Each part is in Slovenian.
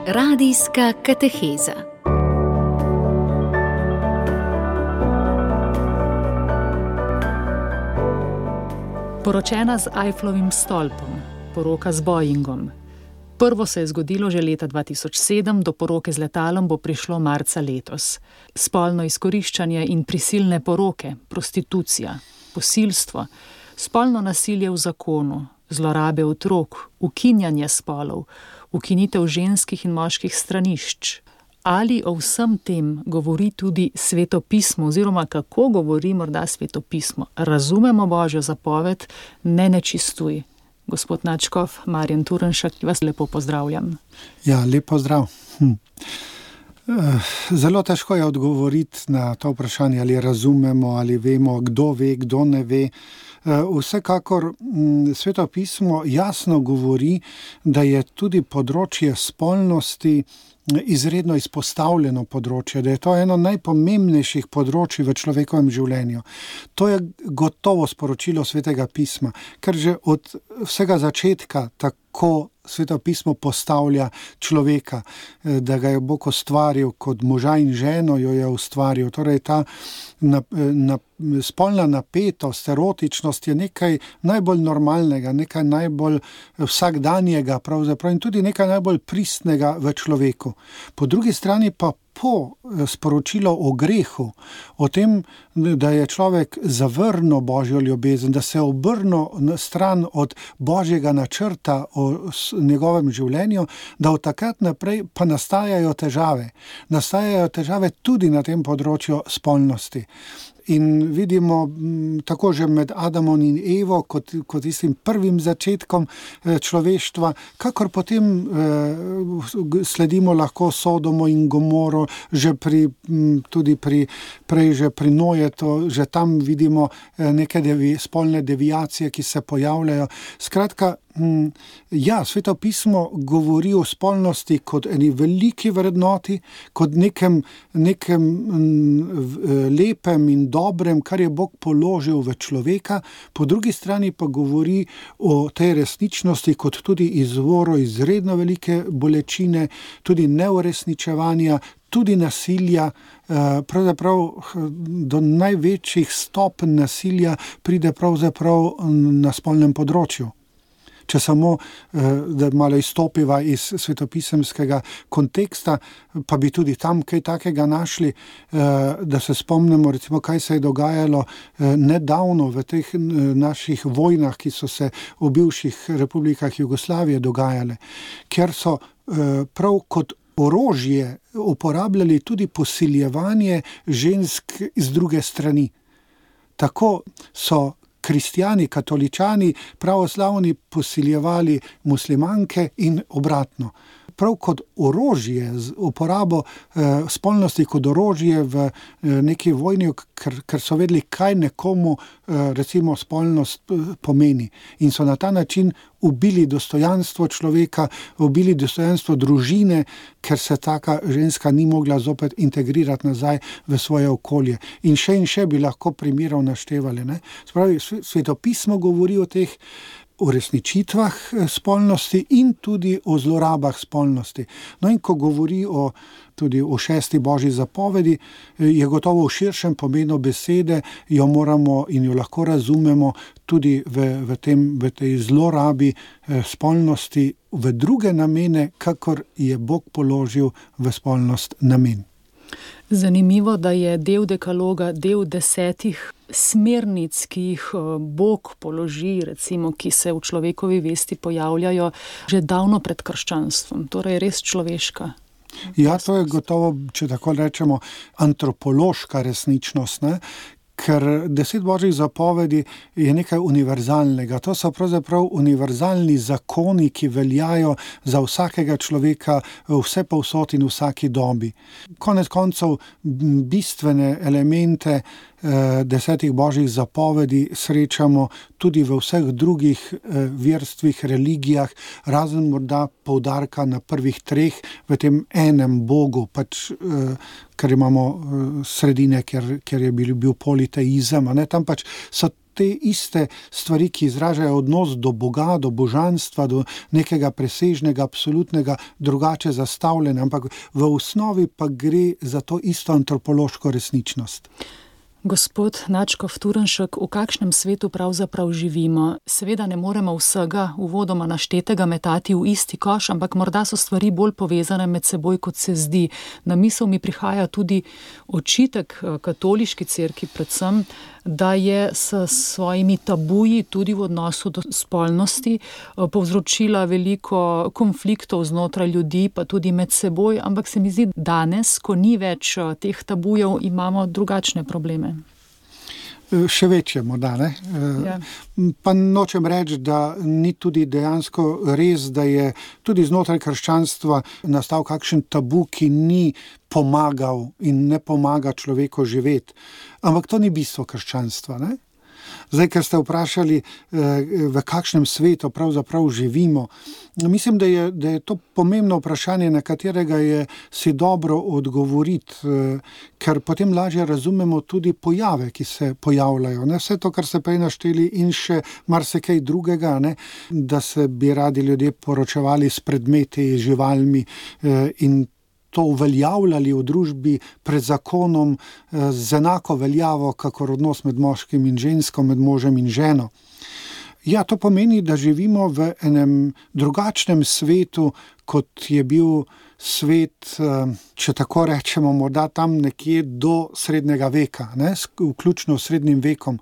Radijska kateheza. Poročena z Eiffelovim stolpom, poroka z Boeingom. Prvo se je zgodilo že leta 2007, do poroke z letalom bo prišlo marca letos. Spolno izkoriščanje in prisilne poroke, prostitucija, posilstvo, spolno nasilje v zakonu, zlorabe otrok, ukinjanje spolov, ukinitev ženskih in moških stranišč. Ali o vsem tem govori tudi Sveto pismo, oziroma kako govori morda Sveto pismo? Razumemo Božjo zapoved, ne nečistuj. Gospod Nadškof, Marjan Turnšek, vas lepo pozdravljam. Ja, lep pozdrav. Zelo težko je odgovoriti na to vprašanje, ali razumemo, ali vemo, kdo ve, kdo ne ve. Vsekakor Sveto pismo jasno govori, da je tudi področje spolnosti izredno izpostavljeno področje, da je to eno najpomembnejših področij v človekovem življenju. To je gotovo sporočilo Svetega pisma, ker že od vsega začetka tako Sveto pismo postavlja človeka, da ga je Bog ustvaril kot moža in ženo, jo je ustvaril. Torej ta spolna napetost, erotičnost je nekaj najbolj normalnega, nekaj najbolj vsakdanjega pravzaprav in tudi nekaj najbolj pristnega v človeku. Po drugi strani pa sporočilo o grehu, o tem, da je človek zavrnil Božjo ljubezen, da se je obrnil na stran od Božjega načrta o njegovem življenju, da od takrat naprej pa nastajajo težave. Nastajajo težave tudi na tem področju spolnosti. In vidimo tako že med Adamom in Evo, kot tistim prvim začetkom človeštva, kakor potem sledimo lahko Sodomo in Gomoro, tudi prej že pri Nojetu, že tam vidimo neke spolne deviacije, ki se pojavljajo. Skratka, ja, Sveto pismo govori o spolnosti kot eni veliki vrednoti, kot nekem lepem in dobrem, kar je Bog položil v človeka, po drugi strani pa govori o tej resničnosti kot tudi izvoru izredno velike bolečine, tudi neuresničevanja, tudi nasilja, pravzaprav do največjih stopenj nasilja pride pravzaprav na spolnem področju. Če samo, da malo izstopiva iz svetopisemskega konteksta, pa bi tudi tam kaj takega našli, da se spomnimo, recimo, kaj se je dogajalo nedavno v teh naših vojnah, ki so se v bivših republikah Jugoslavije dogajale, ker so prav kot orožje uporabljali tudi posiljevanje žensk iz druge strani. Tako so kristjani, katoličani, pravoslavni posiljevali muslimanke in obratno. Prav kot orožje, z uporabo spolnosti kot orožje v neki vojni, ker so vedeli, kaj nekomu recimo spolnost pomeni. In so na ta način ubili dostojanstvo človeka, ubili dostojanstvo družine, ker se taka ženska ni mogla zopet integrirati nazaj v svoje okolje. In še bi lahko primerov naštevali. Spravi, Sveto pismo govori o teh uresničitvah spolnosti in tudi o zlorabah spolnosti. No in ko govori tudi o 6. Božji zapovedi, je gotovo v širšem pomenu besede, jo moramo in jo lahko razumemo tudi v tej zlorabi spolnosti v druge namene, kakor je Bog položil v spolnost namen. Zanimivo, da je del dekaloga, del 10 smernic, ki jih Bog položi, recimo, ki se v človekovi vesti pojavljajo že davno pred krščanstvom, torej res človeška. Ja, to je gotovo, če tako rečemo, antropološka resničnost, ne? Ker 10 Božjih zapovedi je nekaj univerzalnega. To so pravzaprav univerzalni zakoni, ki veljajo za vsakega človeka vse povsod in v vsaki dobi. Konec koncev bistvene elemente 10 Božjih zapovedi srečamo tudi v vseh drugih verstvih, religijah, razen morda poudarka na prvih 3 v tem enem Bogu, ker imamo sredine, ker je bil politeizem, tam pač so te iste stvari, ki izražajo odnos do Boga, do božanstva, do nekega presežnega, absolutnega, drugače zastavljena, ampak v osnovi pa gre za to isto antropološko resničnost. Gospod Nadškof Turnšek, v kakšnem svetu pravzaprav živimo? Seveda ne moremo vsega uvodoma naštetega metati v isti koš, ampak morda so stvari bolj povezane med seboj, kot se zdi. Na misel mi prihaja tudi očitek katoliški cerkvi predvsem, da je s svojimi tabuji tudi v odnosu do spolnosti povzročila veliko konfliktov znotraj ljudi, pa tudi med seboj, ampak se mi zdi, danes, ko ni več teh tabujev, imamo drugačne probleme. Še večje morda, ne? Ja. Pa nočem reči, da ni tudi dejansko res, da je tudi znotraj krščanstva nastal kakšen tabu, ki ni pomagal in ne pomaga človeku živeti. Ampak to ni bistvo krščanstva, ne? Zdaj, ker ste vprašali, v kakšnem svetu pravzaprav živimo, mislim, da je to pomembno vprašanje, na katerega je si dobro odgovoriti, ker potem lažje razumemo tudi pojave, ki se pojavljajo. Ne? Vse to, kar ste prej našteli in še marsikaj drugega, ne? Da se bi radi ljudje poročevali s predmeti, živalmi in to uveljavljali v družbi pred zakonom z enako veljavo, kakor odnos med moškim in žensko, med možem in ženo. Ja, to pomeni, da živimo v enem drugačnem svetu, kot je bil svet, če tako rečemo, morda tam nekje do srednjega veka, ne? Vključno s srednjim vekom,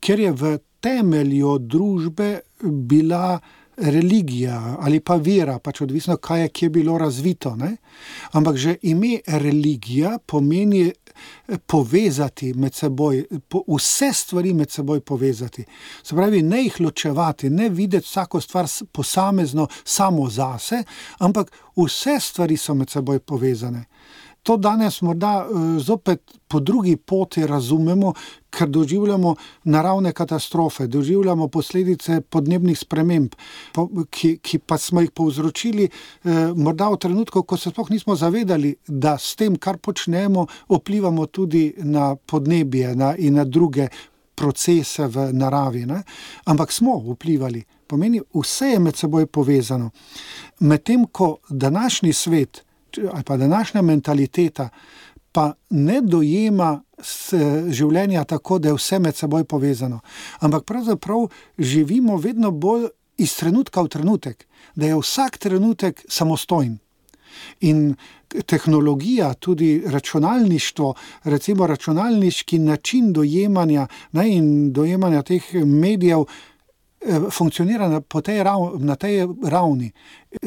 kjer je v temelju družbe bila religija ali pa vera, pač odvisno, kaj je kje bilo razvito, ne? Ampak že ime religija pomeni povezati med seboj, vse stvari med seboj povezati. Se pravi, ne jih ločevati, ne videti vsako stvar posamezno samo zase, ampak vse stvari so med seboj povezane. To danes morda zopet po drugi poti razumemo, ker doživljamo naravne katastrofe, doživljamo posledice podnebnih sprememb, ki pa smo jih povzročili morda v trenutku, ko se sploh nismo zavedali, da s tem, kar počnemo, vplivamo tudi na podnebje in na druge procese v naravi, ne? Ampak smo vplivali. Pomeni, vse je med seboj povezano. Medtem ko današnji svet ali pa današnja mentaliteta pa ne dojema življenja tako, da je vse med seboj povezano. Ampak pravzaprav živimo vedno bolj iz trenutka v trenutek, da je vsak trenutek samostojen. In tehnologija, tudi računalništvo, recimo računalniški način dojemanja, ne, in dojemanja teh medijev funkcionira na tej ravni.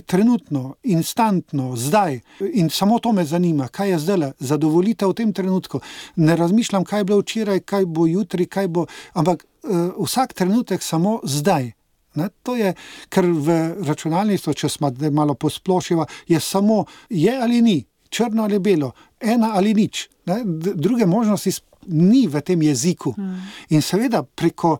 Trenutno, instantno, zdaj. In samo to me zanima, kaj je zdaj, zadovoljitev v tem trenutku. Ne razmišljam, kaj je bilo včeraj, kaj bo jutri, kaj bo, ampak vsak trenutek samo zdaj. Ne? To je, ker v računalništvu, če smo malo posplošiva, je samo je ali ni, črno ali belo, ena ali nič. Ne? Druge možnosti ni v tem jeziku. In seveda preko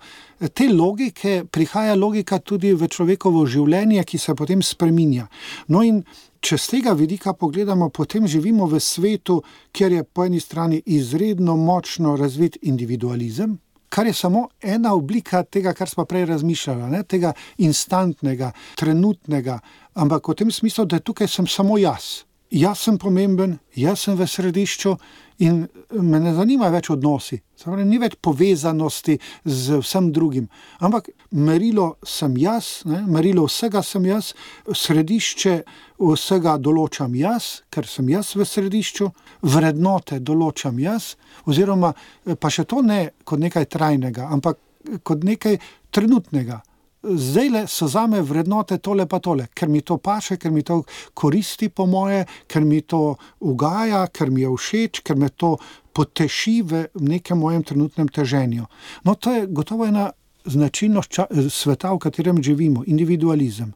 te logike prihaja logika tudi v človekovo življenje, ki se potem spreminja. No in če z tega vidika pogledamo, potem živimo v svetu, kjer je po eni strani izredno močno razvit individualizem, kar je samo ena oblika tega, kar smo prej razmišljali, ne? Tega instantnega, trenutnega, ampak v tem smislu, da tukaj sem samo jaz. Jaz sem pomemben, jaz sem v središču in me ne zanima več odnosi. Pravi, ni več povezanosti z vsem drugim. Ampak merilo sem jaz, ne? Merilo vsega sem jaz, središče vsega določam jaz, ker sem jaz v središču, vrednote določam jaz, oziroma pa še to ne kot nekaj trajnega, ampak kot nekaj trenutnega. Zdajle so zame vrednote tole pa tole, ker mi to paše, ker mi to koristi po moje, ker mi to ugaja, ker mi je všeč, ker me to poteši v nekem mojem trenutnem teženju. No, to je gotovo ena značilnost sveta, v katerem živimo, individualizem.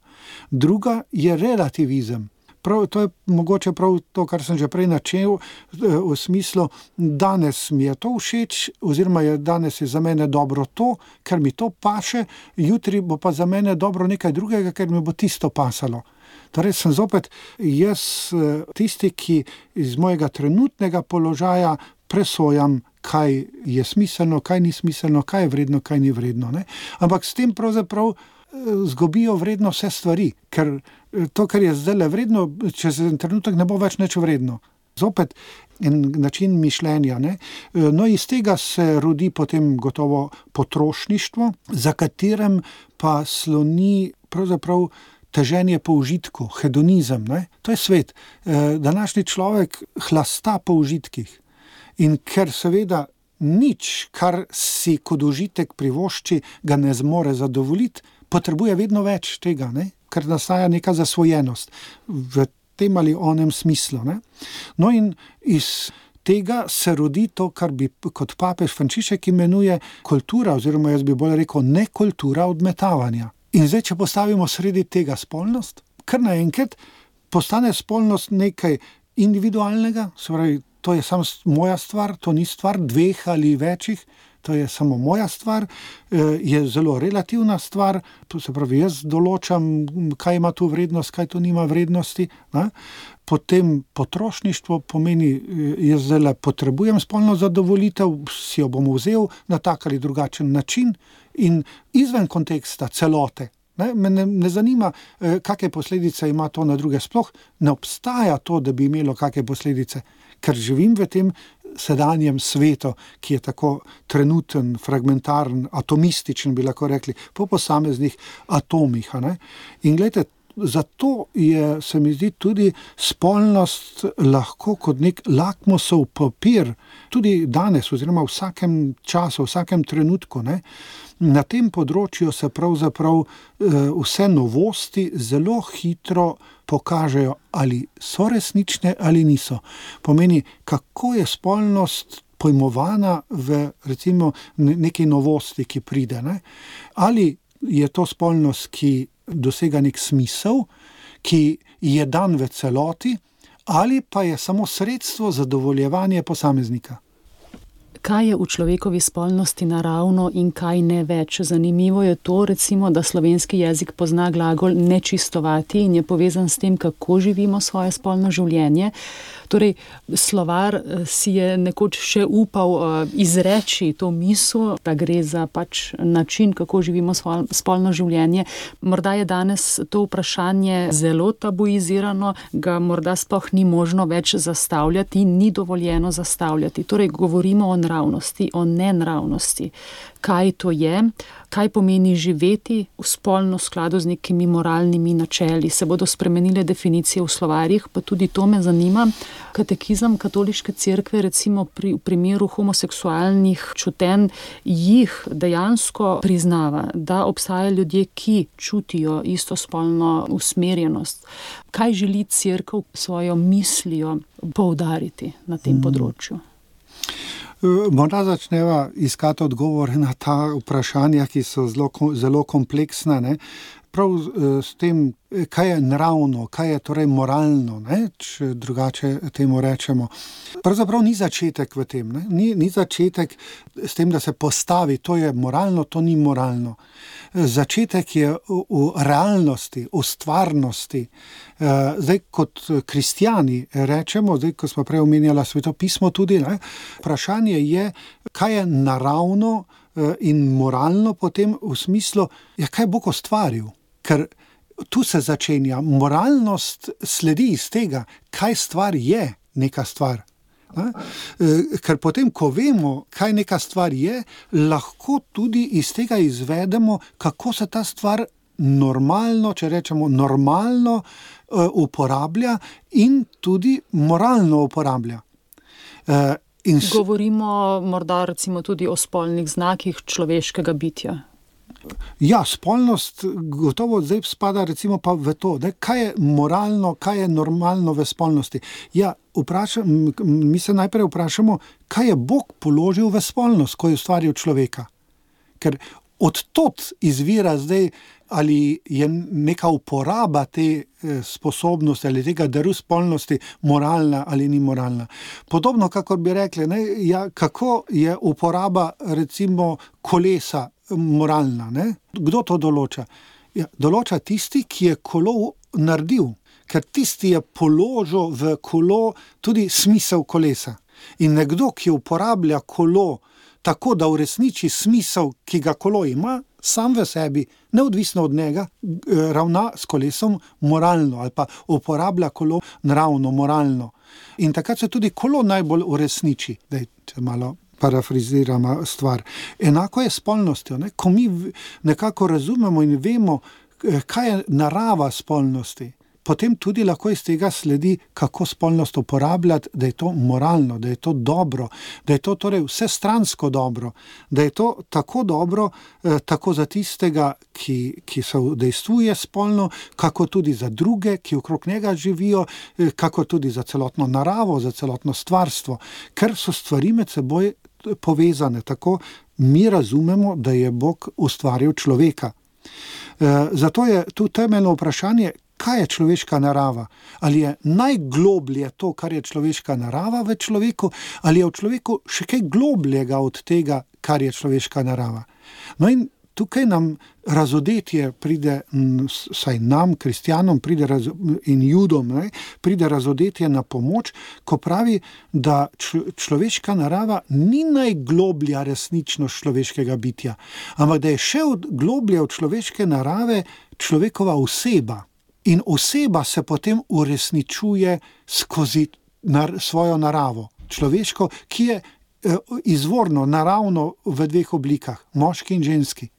Druga je relativizem. To je mogoče prav to, kar sem že prej načel, v smislu, danes mi je to všeč, oziroma danes je za mene dobro to, ker mi to paše, jutri bo pa za mene dobro nekaj drugega, ker mi bo tisto pasalo. Torej sem zopet jaz tisti, ki iz mojega trenutnega položaja presojam, kaj je smiselno, kaj ni smiselno, kaj je vredno, kaj ni vredno. Ne? Ampak s tem pravzaprav zgubijo vredno vse stvari, ker to, kar je zdaj vredno, čez en trenutek ne bo več nič vredno. Zopet en način mišljenja. Ne? No, iz tega se rodi potem gotovo potrošništvo, za katerem pa sloni pravzaprav teženje po užitku, hedonizem. Ne? To je svet. Današnji človek hlasta po užitkih. In ker seveda nič, kar si kot užitek privošči, ga ne zmore zadovoljiti, potrebuje vedno več tega, ne? Ker nastaja neka zasvojenost v tem ali onem smislu. Ne? No in iz tega se rodi to, kar bi kot papež Frančišek imenuje kultura, oziroma jaz bi bolj rekel nekultura odmetavanja. In zdaj, če postavimo sredi tega spolnost, kar naenkrat postane spolnost nekaj individualnega, se pravi, to je samo moja stvar, to ni stvar dveh ali večjih, to je samo moja stvar, je zelo relativna stvar, to se pravi, jaz določam, kaj ima tu vrednost, kaj tu nima vrednosti. Ne? Potem potrošništvo pomeni, jaz zdaj potrebujem spolno zadovoljitev, si jo bom vzel na tak ali drugačen način in izven konteksta celote. Me ne zanima, kakšne posledice ima to na druge, sploh ne obstaja to, da bi imelo kakšne posledice, ker živim v tem sedanjem svetu, ki je tako trenuten, fragmentaren, atomističen, bi lahko rekli, po posameznih atomih. Ne? In gledajte, zato je, se mi zdi, tudi spolnost lahko kot nek lakmusov papir, tudi danes, oziroma v vsakem času, v vsakem trenutku. Ne? Na tem področju se pravzaprav vse novosti zelo hitro pokažejo, ali so resnične ali niso. Pomeni, kako je spolnost pojmovana v recimo neki novosti, ki pride. Ne? Ali je to spolnost, ki dosega nek smisel, ki je dan v celoti, ali pa je samo sredstvo zadovoljevanja posameznika. Kaj je v človekovi spolnosti naravno in kaj ne več? Zanimivo je to, recimo, da slovenski jezik pozna glagol nečistovati in je povezan s tem, kako živimo svoje spolno življenje. Torej, slovar si je nekoč še upal izreči to misel, da gre za pač način, kako živimo spolno življenje. Morda je danes to vprašanje zelo tabuizirano, ga morda sploh ni možno več zastavljati, ni dovoljeno zastavljati. Torej, govorimo o nravnosti, o nenravnosti. Kaj to je, kaj pomeni živeti v spolno skladu z nekimi moralnimi načeli. Se bodo spremenile definicije v slovarjih, pa tudi to me zanima. Katekizem katoliške cerkve, recimo v primeru homoseksualnih čutenj, jih dejansko priznava, da obstajajo ljudje, ki čutijo istospolno usmerjenost. Kaj želi cerkev svojo mislijo poudariti na tem področju? Morda začneva iskati odgovore na ta vprašanja, ki so zelo kompleksna. Ne? Prav s tem, kaj je naravno, kaj je torej moralno, ne? Če drugače temu rečemo. Pravzaprav ni začetek v tem. Ne? Ni začetek s tem, da se postavi, to je moralno, to ni moralno. Začetek je v realnosti, v stvarnosti. Zdaj, kot kristjani rečemo, zdaj, ko smo prej omenjala svetopismo tudi, ne? Vprašanje je, kaj je naravno in moralno potem v smislu, kaj Bog ustvaril. Ker tu se začenja. Moralnost sledi iz tega, kaj stvar je neka stvar. Ker potem, ko vemo, kaj neka stvar je, lahko tudi iz tega izvedemo, kako se ta stvar normalno, če rečemo normalno, uporablja in tudi moralno uporablja. Govorimo morda recimo tudi o spolnih znakih človeškega bitja. Ja, spolnost gotovo zdaj spada recimo pa v to, ne? Kaj je moralno, kaj je normalno v spolnosti. Ja, mi se najprej vprašamo, kaj je Bog položil v spolnost, ko je ustvaril človeka. Ker od tod izvira zdaj, ali je neka uporaba te sposobnosti ali tega daru spolnosti moralna ali ni moralna. Podobno, kakor bi rekli, ne? Ja, kako je uporaba recimo kolesa moralna, ne? Kdo to določa? Ja, določa tisti, ki je kolo naredil, ker tisti je položil v kolo tudi smisel kolesa. In nekdo, ki uporablja kolo tako, da uresniči smisel, ki ga kolo ima, sam v sebi, neodvisno od njega, ravna s kolesom moralno ali pa uporablja kolo naravno, moralno. In takrat se tudi kolo najbolj uresniči. Daj, če malo parafraziramo stvar. Enako je s spolnostjo. Ne? Ko mi nekako razumemo in vemo, kaj je narava spolnosti, potem tudi lahko iz tega sledi, kako spolnost uporabljati, da je to moralno, da je to dobro, da je to torej vsestransko dobro, da je to tako dobro, tako za tistega, ki se udejstvuje spolno, kako tudi za druge, ki okrog njega živijo, kako tudi za celotno naravo, za celotno stvarstvo, ker so stvari med seboj povezane. Tako mi razumemo, da je Bog ustvaril človeka. Zato je tu temeljno vprašanje, kaj je človeška narava? Ali je najgloblje to, kar je človeška narava v človeku, ali je v človeku še kaj globljega od tega, kar je človeška narava? No in tukaj nam razodetje pride, saj nam, kristjanom, in judom, pride razodetje na pomoč, ko pravi, da človeška narava ni najgloblja resničnost človeškega bitja, ampak da je še globlje od človeške narave človekova oseba. In oseba se potem uresničuje skozi svojo naravo, človeško, ki je izvorno, naravno v dveh oblikah, moški in ženski.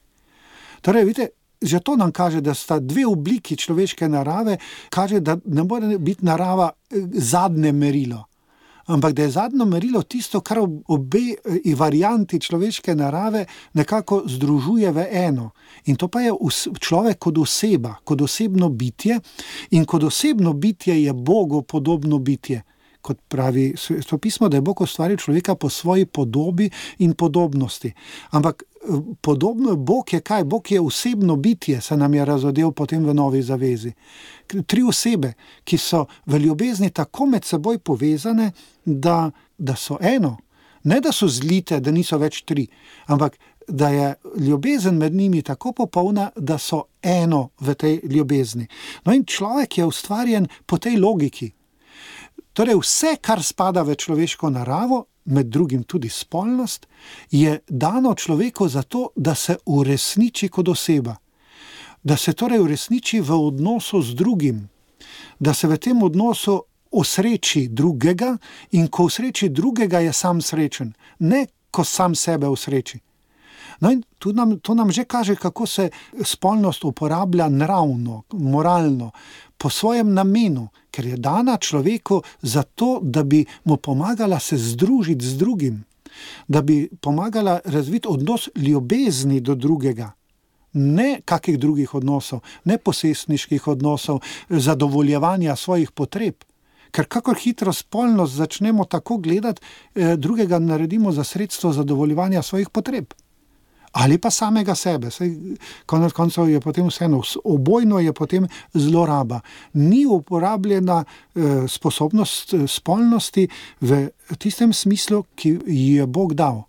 Torej, vidite, že to nam kaže, da sta dve obliki človeške narave, kaže, da ne more biti narava zadnje merilo, ampak da je zadnje merilo tisto, kar obe varianti človeške narave nekako združuje v eno. In to pa je človek kot oseba, kot osebno bitje, in kot osebno bitje je Bogu podobno bitje. Kot pravi Svetopismo, da je Bog ustvaril človeka po svoji podobi in podobnosti. Ampak podobno Bog je kaj? Bog je osebno bitje, se nam je razodel potem v Novi zavezi. 3 osebe, ki so v ljubezni tako med seboj povezane, da so eno. Ne, da so zlite, da niso več 3, ampak da je ljubezen med njimi tako popolna, da so eno v tej ljubezni. No in človek je ustvarjen po tej logiki. Torej vse, kar spada v človeško naravo, med drugim tudi spolnost, je dano človeku zato, da se uresniči kot oseba. Da se torej uresniči v odnosu z drugim. Da se v tem odnosu osreči drugega in ko osreči drugega, je sam srečen. Ne, ko sam sebe osreči. No in to nam že kaže, kako se spolnost uporablja naravno, moralno, po svojem namenu, ker je dana človeku zato, da bi mu pomagala se združiti z drugim, da bi pomagala razviti odnos ljubezni do drugega, ne kakih drugih odnosov, ne posestniških odnosov, zadovoljevanja svojih potreb. Ker kakor hitro spolnost začnemo tako gledati, drugega naredimo za sredstvo zadovoljevanja svojih potreb. Ali pa samega sebe. Konec koncev je potem vseeno, obojno je potem zloraba. Ni uporabljena sposobnost spolnosti v tistem smislu, ki ji je Bog dal.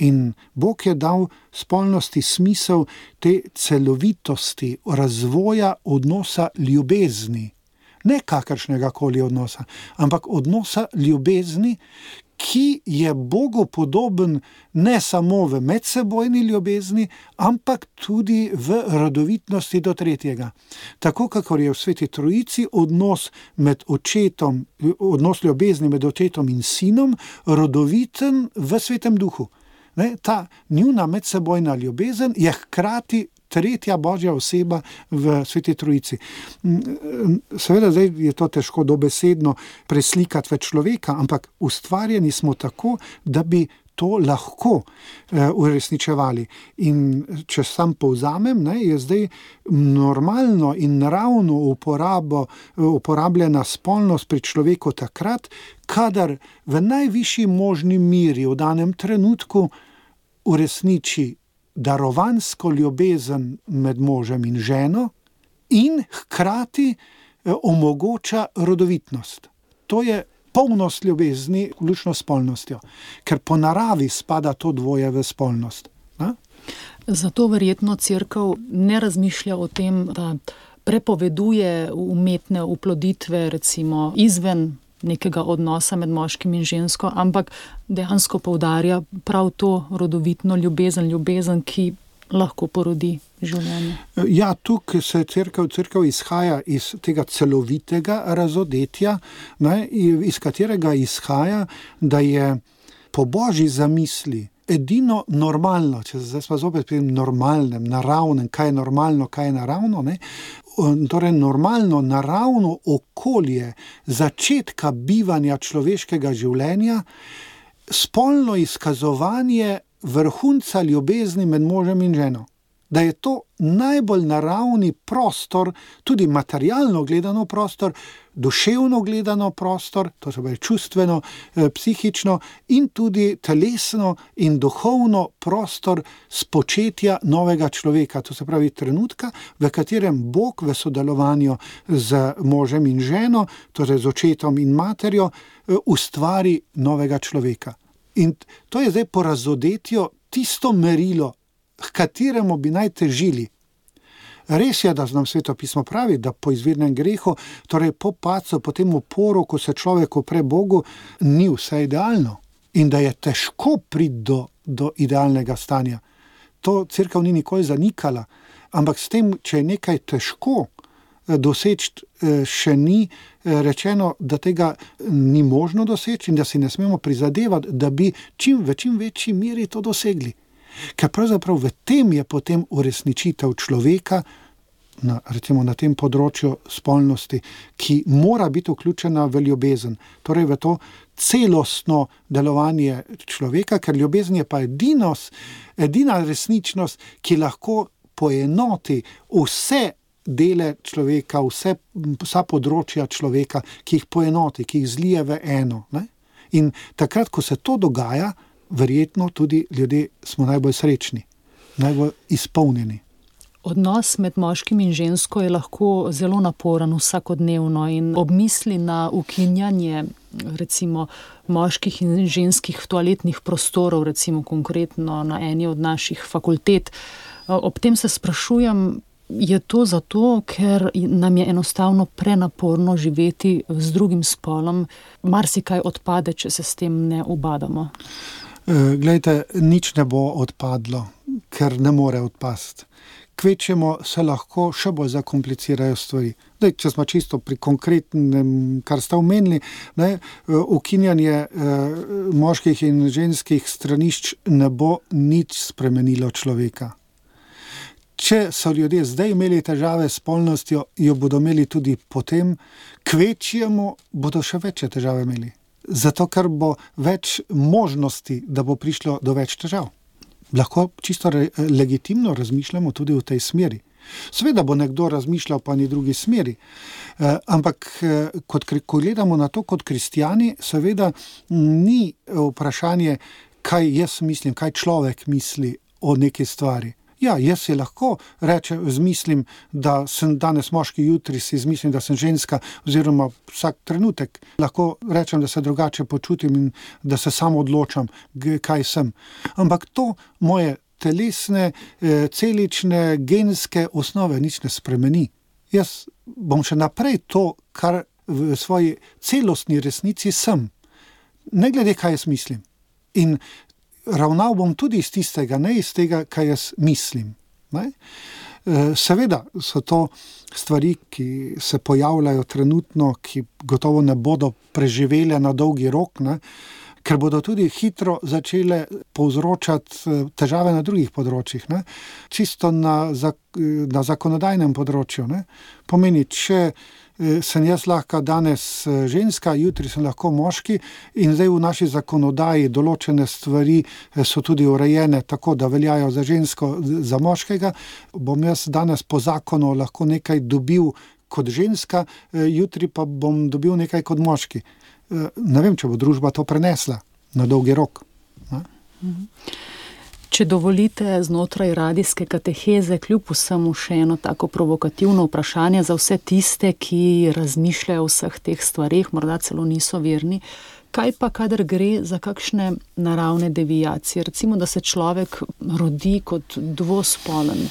In Bog je dal spolnosti smisel te celovitosti, razvoja odnosa ljubezni. Ne kakršnega koli odnosa, ampak odnosa ljubezni, ki je Bogu podoben ne samo v medsebojni ljubezni, ampak tudi v rodovitnosti do tretjega. Tako, kakor je v Sveti Trojici odnos ljubezni med očetom in sinom, rodoviten v Svetem Duhu. Ta njuna medsebojna ljubezen je hkrati tretja Božja oseba v Sveti Trojici. Seveda zdaj je to težko dobesedno preslikati v človeka, ampak ustvarjeni smo tako, da bi to lahko uresničevali. In če sam povzamem, je zdaj normalno in naravno uporabljena spolnost pri človeku takrat, kadar v najvišji možni miri v danem trenutku uresniči darovansko ljubezen med možem in ženo in hkrati omogoča rodovitnost. To je polnost ljubezni, vključno s spolnostjo, ker po naravi spada to dvoje v spolnost. Zato verjetno Cerkev ne razmišlja o tem, da prepoveduje umetne oploditve recimo izven nekega odnosa med moškim in žensko, ampak dejansko poudarja prav to rodovitno ljubezen, ki lahko porodi življenje. Ja, tukaj se cerkev izhaja iz tega celovitega razodetja, ne, iz katerega izhaja, da je po Božji zamisli edino normalno, če zdaj smo zopet pri normalnem, naravnem, kaj je normalno, kaj je naravno, ne? Torej normalno, naravno okolje začetka bivanja človeškega življenja, spolno izkazovanje vrhunca ljubezni med možem in ženo. Da je to najbolj naravni prostor, tudi materialno gledano prostor, duševno gledano prostor, to se pravi čustveno, psihično in tudi telesno in duhovno prostor spočetja novega človeka. To se pravi trenutka, v katerem Bog v sodelovanju z možem in ženo, torej z očetom in materjo, ustvari novega človeka. In to je zdaj po razodetju tisto merilo, k kateremu bi naj težili. Res je, da nam Sveto pismo pravi, da po izvirnem grehu, torej po padcu, po tem uporu, ko se človek upre Bogu, ni vse idealno in da je težko priti do idealnega stanja. To cerkev ni nikoli zanikala, ampak s tem, če je nekaj težko doseči, še ni rečeno, da tega ni možno doseči in da si ne smemo prizadevati, da bi v čim večji meri to dosegli. Ker pravzaprav v tem je potem uresničitev človeka, recimo na tem področju spolnosti, ki mora biti vključena v ljubezen, torej v to celostno delovanje človeka, ker ljubezen je pa edina resničnost, ki lahko poenoti vse dele človeka, vsa področja človeka, ki jih poenoti, ki jih zlije v eno. Ne? In takrat, ko se to dogaja, verjetno tudi ljudje smo najbolj srečni, najbolj izpolnjeni. Odnos med moškim in žensko je lahko zelo naporen vsakodnevno in ob misli na ukinjanje recimo moških in ženskih toaletnih prostorov, recimo konkretno na eni od naših fakultet. Ob tem se sprašujem, je to zato, ker nam je enostavno prenaporno živeti z drugim spolom, marsikaj odpade, če se s tem ne ubadamo? Glejte, nič ne bo odpadlo, ker ne more odpasti. Kvečemo se lahko še bolj zakomplicirajo stvari. Daj, če smo čisto pri konkretnem, kar ste omenili, ukinjanje moških in ženskih stranišč ne bo nič spremenilo človeka. Če so ljudje zdaj imeli težave s spolnostjo, jo bodo imeli tudi potem, kvečjemu bodo še večje težave imeli. Zato, ker bo več možnosti, da bo prišlo do več težav. Lahko čisto legitimno razmišljamo tudi v tej smeri. Seveda bo nekdo razmišljal pa ni drugi smeri, ampak ko gledamo na to kot kristjani, seveda ni vprašanje, kaj jaz mislim, kaj človek misli o neki stvari. Ja, jaz si lahko zmislim, da sem danes moški, jutri si izmislim, da sem ženska, oziroma vsak trenutek lahko rečem, da se drugače počutim in da se sam odločam, kaj sem. Ampak to moje telesne, celične, genske osnove nič ne spremeni. Jaz bom še naprej to, kar v svoji celostni resnici sem. Ne glede, kaj jaz mislim. In ravnal bom tudi iz tistega, ne iz tega, kaj jaz mislim. Ne? Seveda so to stvari, ki se pojavljajo trenutno, ki gotovo ne bodo preživele na dolgi rok, ne? Ker bodo tudi hitro začele povzročati težave na drugih področjih, ne? Čisto na zakonodajnem področju. Ne? Pomeni, če sem jaz lahko danes ženska, jutri sem lahko moški in zdaj v naši zakonodaji določene stvari so tudi urejene tako, da veljajo za žensko, za moškega, bom jaz danes po zakonu lahko nekaj dobil kot ženska, jutri pa bom dobil nekaj kot moški. Ne vem, če bo družba to prenesla na dolgi rok. Ne? Če dovolite, znotraj radijske kateheze kljub vsemu še eno tako provokativno vprašanje za vse tiste, ki razmišljajo o vseh teh stvareh, morda celo niso verni. Kaj pa, kadar gre za kakšne naravne deviacije? Recimo, da se človek rodi kot dvospolen.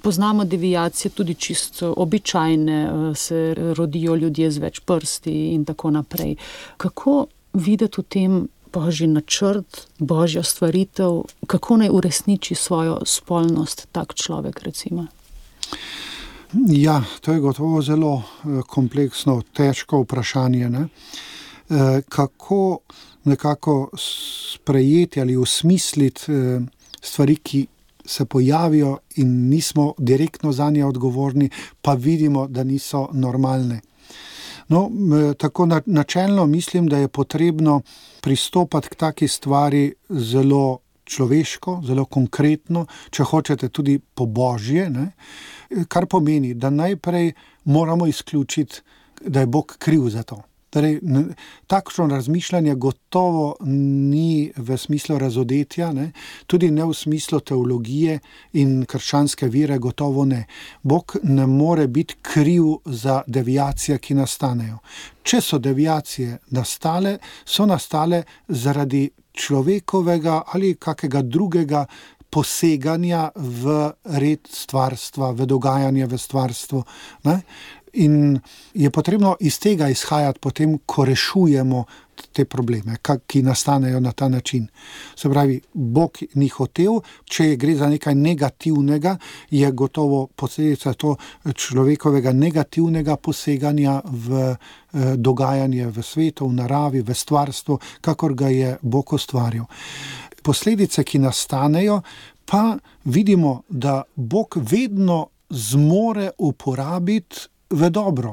Poznamo deviacije tudi čisto običajne, se rodijo ljudje z več prsti in tako naprej. Kako videti v tem Božji načrt, Božja stvaritev, kako naj uresniči svojo spolnost tak človek, recimo? Ja, to je gotovo zelo kompleksno, težko vprašanje, ne? Kako nekako sprejeti ali osmisliti stvari, ki se pojavijo in nismo direktno zanje odgovorni, pa vidimo, da niso normalne. No, tako načelno mislim, da je potrebno pristopati k taki stvari zelo človeško, zelo konkretno, če hočete tudi po Božje, ne? Kar pomeni, da najprej moramo izključiti, da je Bog kriv za to. Torej, takšno razmišljanje gotovo ni v smislu razodetja, ne? Tudi ne v smislu teologije in krščanske vere, gotovo ne. Bog ne more biti kriv za deviacije, ki nastanejo. Če so deviacije nastale, so nastale zaradi človekovega ali kakega drugega poseganja v red stvarstva, v dogajanje v stvarstvu, ne? In je potrebno iz tega izhajati potem, ko rešujemo te probleme, ki nastanejo na ta način. Se pravi, Bog ni hotel, če gre za nekaj negativnega, je gotovo posledica to človekovega negativnega poseganja v dogajanje v svetu, v naravi, v stvarstvu, kakor ga je Bog ustvaril. Posledice, ki nastanejo, pa vidimo, da Bog vedno zmore uporabiti v dobro.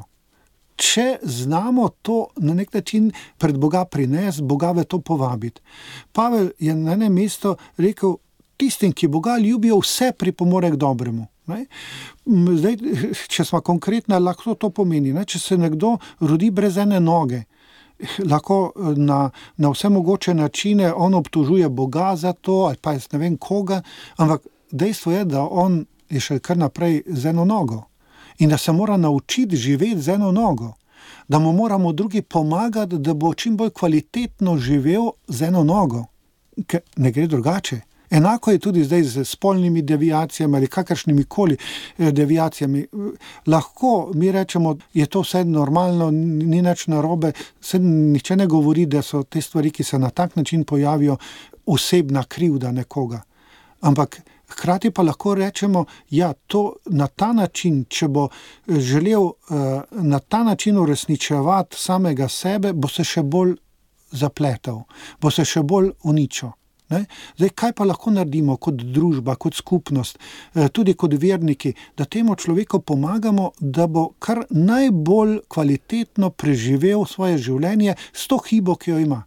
Če znamo to na nek način pred Boga prinesti, Boga v to povabiti. Pavel je na enem mestu rekel, tistim, ki Boga ljubijo, vse pripomore k dobremu. Ne? Zdaj, če smo konkretni, lahko to pomeni, ne? Če se nekdo rodi brez ene noge, lahko na vse mogoče načine on obtožuje Boga za to, ali pa jaz ne vem koga, ampak dejstvo je, da on je še kar naprej z eno nogo. In da se mora naučiti živeti z eno nogo, da mu moramo drugi pomagati, da bo čim bolj kvalitetno živel z eno nogo, ker ne gre drugače. Enako je tudi zdaj z spolnimi deviacijami ali kakršnimi koli deviacijami. Lahko mi rečemo, je to vse normalno, ni nič narobe, se nihče ne govori, da so te stvari, ki se na tak način pojavijo, osebna krivda nekoga. Ampak hkrati pa lahko rečemo, ja, to na ta način, če bo želel na ta način uresničevati samega sebe, bo se še bolj zapletel, bo se še bolj uničil. Ne? Zdaj, kaj pa lahko naredimo kot družba, kot skupnost, tudi kot verniki, da temu človeku pomagamo, da bo kar najbolj kvalitetno preživel svoje življenje s to hibo, ki jo ima.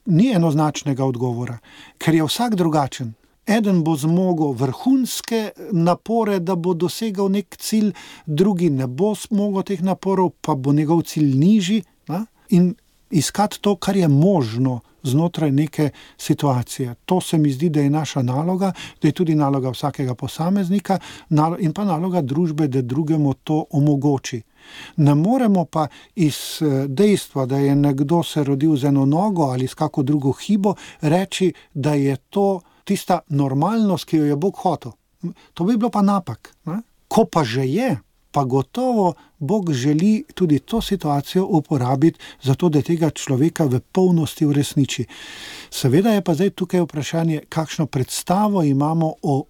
Ni enoznačnega odgovora, ker je vsak drugačen. Eden bo zmogel vrhunske napore, da bo dosegal nek cilj, drugi ne bo zmogel teh naporov, pa bo njegov cilj nižji. Ne? In iskati to, kar je možno znotraj neke situacije. To se mi zdi, da je naša naloga, da je tudi naloga vsakega posameznika in pa naloga družbe, da drugemu to omogoči. Ne moremo pa iz dejstva, da je nekdo se rodil z eno nogo ali s kako drugo hibo, reči, da je to tista normalnost, ki jo je Bog hotel. To bi bilo pa napak. Ne? Ko pa že je, pa gotovo Bog želi tudi to situacijo uporabiti, zato da tega človeka v polnosti uresniči. Seveda je pa zdaj tukaj vprašanje, kakšno predstavo imamo o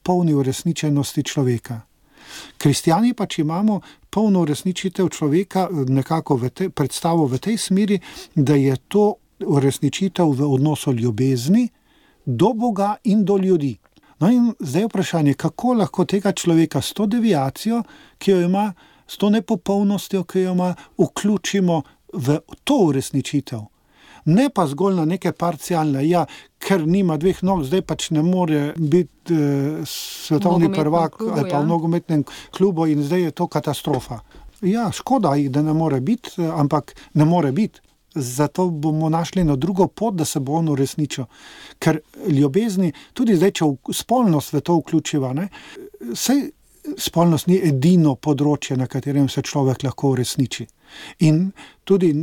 polni uresničenosti človeka. Kristjani pa, če imamo polno uresničitev človeka, nekako predstavo v tej smeri, da je to uresničitev v odnosu ljubezni do Boga in do ljudi. No in zdaj vprašanje, kako lahko tega človeka s to deviacijo, ki jo ima, s to nepopolnostjo, ki jo ima, vključimo v to uresničitev. Ne pa zgolj na neke parcialne, ja, ker nima dveh nog, zdaj pač ne more biti svetovni prvak ali pa v nogometnem klubu in zdaj je to katastrofa. Ja, škoda jih, da ne more biti, ampak ne more biti. Zato bomo našli eno drugo pot, da se bo on uresničil. Ker ljubezni, tudi zdaj, če spolnost v to vključiva, ne, saj spolnost ni edino področje, na katerem se človek lahko uresniči. In tudi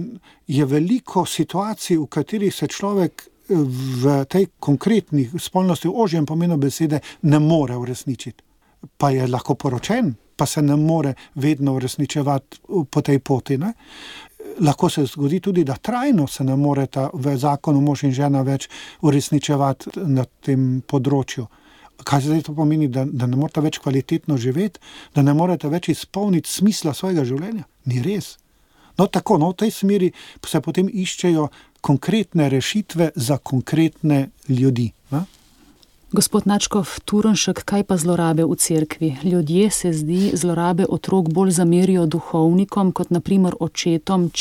je veliko situacij, v katerih se človek v tej konkretni spolnosti v ožjem pomenu besede ne more uresničiti. Pa je lahko poročen, pa se ne more vedno uresničevati po tej poti. Ne? Lahko se zgodi tudi, da trajno se ne moreta v zakonu mož in žena več uresničevati na tem področju. Kaj zdaj to pomeni, da ne morete več kvalitetno živeti, da ne morete več izpolniti smisla svojega življenja? Ni res. No tako, v tej smeri se potem iščejo konkretne rešitve za konkretne ljudi. Ne? Gospod Načkov Turnšek, kaj pa zlorabe v cerkvi? Ljudje, se zdi, zlorabe otrok bolj zamerijo duhovnikom, kot na primer očetom,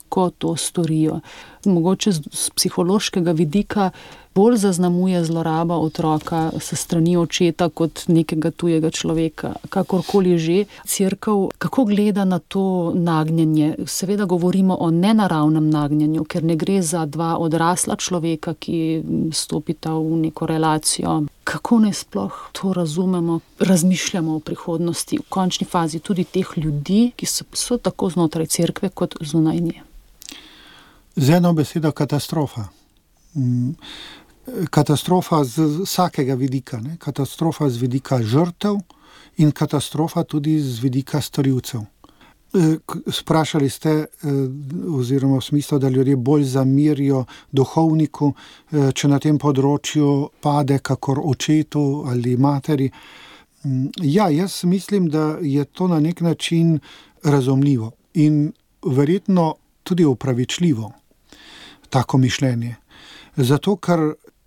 ko to storijo. Mogoče z psihološkega vidika bolj zaznamuje zloraba otroka s strani očeta kot nekega tujega človeka. Kakorkoli že, cerkev kako gleda na to nagnjenje? Seveda govorimo o nenaravnem nagnjenju, ker ne gre za dva odrasla človeka, ki stopita v neko relacijo. Kako naj sploh to razumemo, razmišljamo o prihodnosti, v končni fazi tudi teh ljudi, ki so tako znotraj cerkve kot zunaj nje? Z eno besedo katastrofa. Katastrofa z vsakega vidika. Ne? Katastrofa z vidika žrtev in katastrofa tudi z vidika storilcev. Sprašali ste, oziroma v smislu, da ljudje bolj zamerijo duhovniku, če na tem področju pade kakor očetu ali materi. Ja, jaz mislim, da je to na nek način razumljivo in verjetno tudi upravičljivo, tako mišljenje. Zato, ker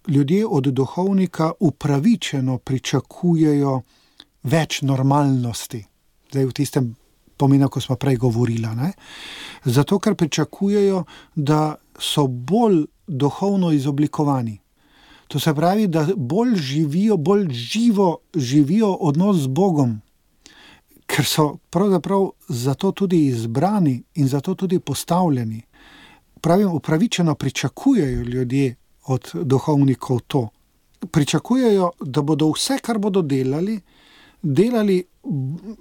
ljudje od duhovnika upravičeno pričakujejo več normalnosti. Zdaj v tistem pomenu, ko smo prej govorila. Ne? Zato, ker pričakujejo, da so bolj duhovno izoblikovani. To se pravi, da bolj živo živijo odnos z Bogom, ker so pravzaprav zato tudi izbrani in zato tudi postavljeni. Pravim, upravičeno pričakujejo ljudje od duhovnikov to. Pričakujejo, da bodo vse, kar bodo delali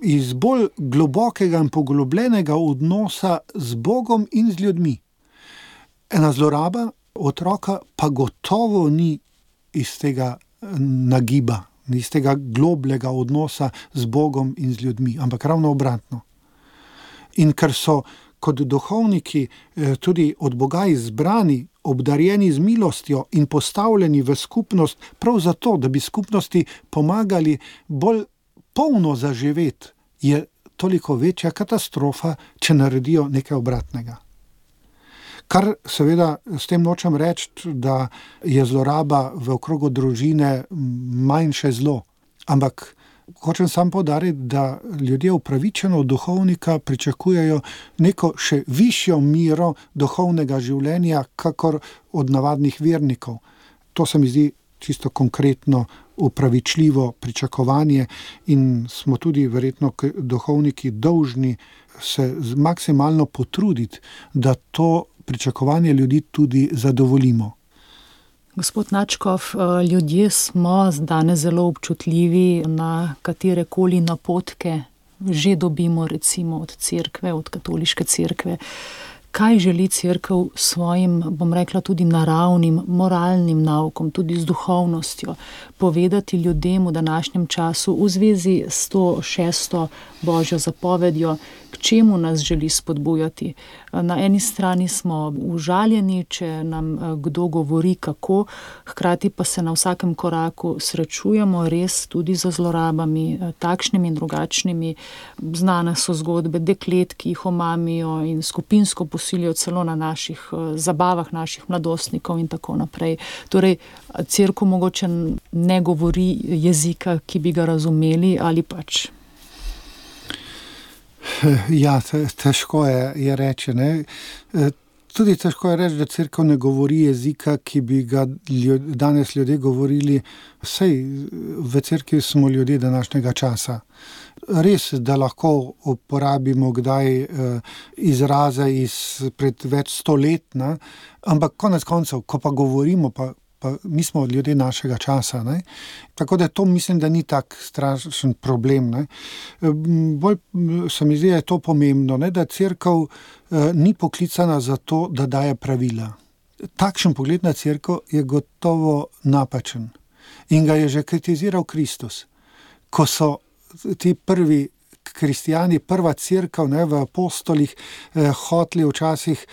iz bolj globokega in poglobljenega odnosa z Bogom in z ljudmi. Ena zloraba otroka pa gotovo ni iz tega nagiba, iz tega globlega odnosa z Bogom in z ljudmi, ampak ravno obratno. In ker so kot duhovniki tudi od Boga izbrani, obdarjeni z milostjo in postavljeni v skupnost, prav zato, da bi skupnosti pomagali bolj polno zaživeti, je toliko večja katastrofa, če naredijo nekaj obratnega. Kar seveda s tem nočem reči, da je zloraba v okrogu družine manjše zlo, ampak hočem sam poudariti, da ljudje upravičeno od duhovnika pričakujejo neko še višjo miro duhovnega življenja, kakor od navadnih vernikov. To se mi zdi čisto konkretno upravičljivo pričakovanje in smo tudi verjetno duhovniki dolžni se maksimalno potruditi, da to pričakovanje ljudi tudi zadovoljimo. Gospod Načkov, ljudje smo danes zelo občutljivi na katerekoli napotke, že dobimo recimo od cerkve, od katoliške cerkve. Kaj želi cerkev svojim, bom rekla, tudi naravnim, moralnim naukom, tudi z duhovnostjo, povedati ljudem v današnjem času v zvezi s to 6. Božjo zapovedjo, k čemu nas želi spodbujati? Na eni strani smo užaljeni, če nam kdo govori kako, hkrati pa se na vsakem koraku srečujemo res tudi za zlorabami, takšnimi in drugačnimi. Znane so zgodbe deklet, ki jih omamijo in skupinsko posilijo celo na naših zabavah naših mladostnikov in tako naprej. Torej, cerkev mogoče ne govori jezika, ki bi ga razumeli, ali pač? Ja, težko je reči. Ne? Tudi težko je reči, da cerkev ne govori jezika, ki bi ga danes ljudje govorili. Saj v cerkvi smo ljudje današnjega časa. Res, da lahko uporabimo kdaj izraze pred več 100 let, ne? Ampak konec koncev, ko pa govorimo, pa pa mi smo ljudje našega časa. Ne? Tako da to mislim, da ni tak strašen problem. Ne? Bolj se mi zdi, da je to pomembno, ne? Da cerkev ni poklicana za to, da daje pravila. Takšen pogled na cerkev je gotovo napačen. In ga je že kritiziral Kristus. Ko so ti prvi kristijani, prva cerkev v apostolih hoteli včasih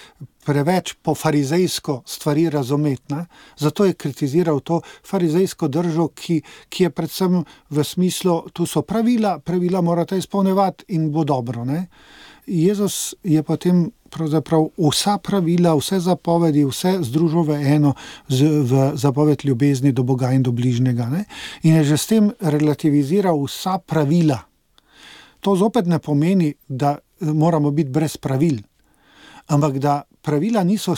preveč po farizejsko stvari razumeti. Ne? Zato je kritiziral to farizejsko držo, ki je predvsem v smislu, tu so pravila morate izpolnjevati in bo dobro. Ne? Jezus je potem pravzaprav vsa pravila, vse zapovedi, vse združil v eno, v zapoved ljubezni do Boga in do bližnjega. Ne? In je že s tem relativiziral vsa pravila. To zopet ne pomeni, da moramo biti brez pravil, ampak da pravila niso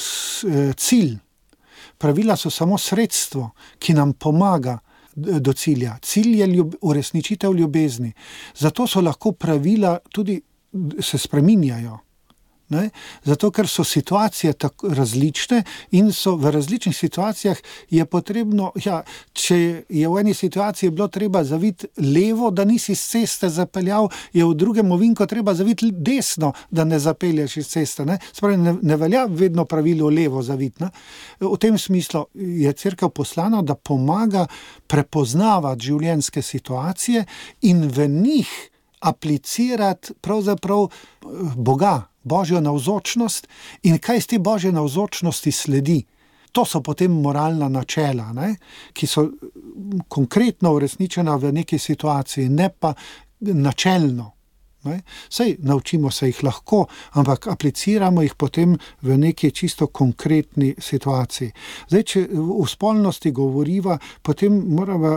cilj. Pravila so samo sredstvo, ki nam pomaga do cilja. Cilj je uresničitev ljubezni. Zato so lahko pravila tudi se spreminjajo. Ne? Zato, ker so situacije tako različne in so v različnih situacijah je potrebno, če je v eni situaciji bilo treba zaviti levo, da nisi z ceste zapeljal, je v drugem ovinku treba zaviti desno, da ne zapelješ iz ceste. Ne? Spravi, ne velja vedno pravilo levo zaviti. Ne? V tem smislu je cerkev poslana, da pomaga prepoznavati življenjske situacije in v njih aplicirati pravzaprav Boga, Božjo navzočnost in kaj iz te Božje navzočnosti sledi. To so potem moralna načela, ne? Ki so konkretno uresničena v neki situaciji, ne pa načelno. Ne? Sej naučimo se jih lahko, ampak apliciramo jih potem v neki čisto konkretni situaciji. Zdaj, če v spolnosti govoriva, potem moramo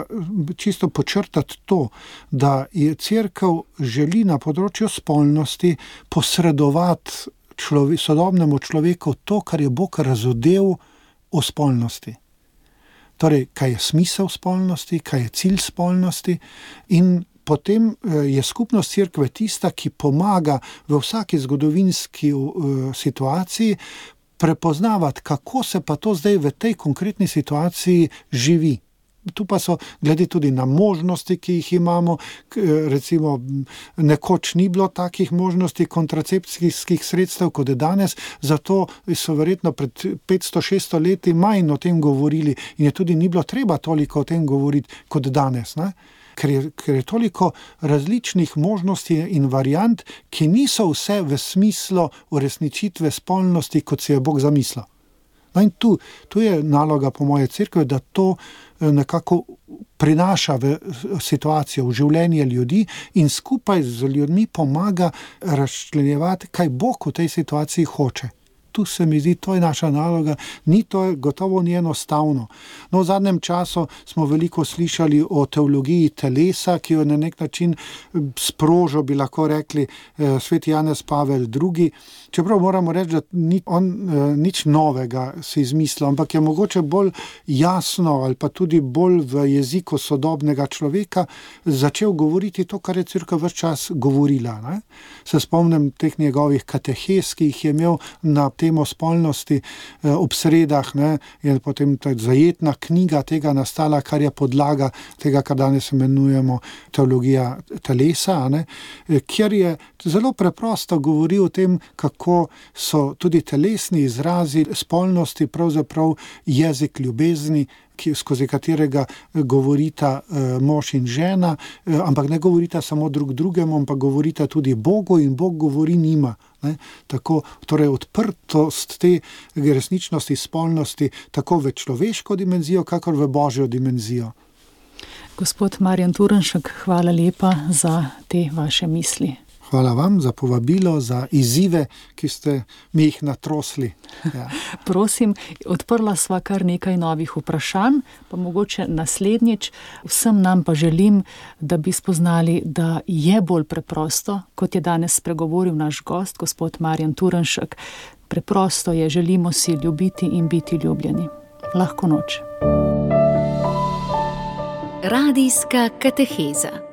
čisto počrtati to, da je cerkev želi na področju spolnosti posredovati sodobnemu človeku to, kar je Bog razodel o spolnosti. Torej, kaj je smisel spolnosti, kaj je cilj spolnosti in potem je skupnost cerkve tista, ki pomaga v vsaki zgodovinski situaciji prepoznavati, kako se pa to zdaj v tej konkretni situaciji živi. Tu pa so glede tudi na možnosti, ki jih imamo, recimo nekoč ni bilo takih možnosti kontracepcijskih sredstev, kot je danes, zato so verjetno pred 500-600 leti manj o tem govorili in je tudi ni bilo treba toliko o tem govoriti kot danes, ne? Ker je toliko različnih možnosti in variant, ki niso vse v smislu uresničitve spolnosti, kot si je Bog zamislil. No in tu je naloga po moje cerkve, da to nekako prinaša v situacijo, v življenje ljudi in skupaj z ljudmi pomaga razčlenjevati, kaj Bog v tej situaciji hoče. Tu se mi zdi, to je naša naloga, gotovo ni enostavno. No, v zadnjem času smo veliko slišali o teologiji telesa, ki jo na nek način sprožil, bi lahko rekli, sveti Janez Pavel II. Čeprav moramo reči, da ni on nič novega si izmislil, ampak je mogoče bolj jasno ali pa tudi bolj v jeziku sodobnega človeka začel govoriti to, kar je cerkev ves čas govorila. Ne? Se spomnim teh njegovih katehes, ki jih je imel na temo spolnosti ob sredah, ne, je potem ta zajetna knjiga tega nastala, kar je podlaga tega, kar danes imenujemo teologija telesa, ne, kjer je zelo preprosto govoril o tem, kako so tudi telesni izrazi spolnosti pravzaprav jezik ljubezni, skozi katerega govorita mož in žena, ampak ne govorita samo drug drugemu, ampak govorita tudi Bogu in Bog govori njima. Ne? Tako, torej odprtost te resničnosti spolnosti tako v človeško dimenzijo, kakor v Božjo dimenzijo. Gospod Marjan Turnšek, hvala lepa za te vaše misli. Hvala vam za povabilo, za izzive, ki ste mi jih natrosli. Ja. Prosim, odprla sva kar nekaj novih vprašanj, pa mogoče naslednjič. Vsem nam pa želim, da bi spoznali, da je bolj preprosto, kot je danes spregovoril naš gost, gospod Marjan Turnšek. Preprosto je, želimo si ljubiti in biti ljubljeni. Lahko noč. Radijska kateheza.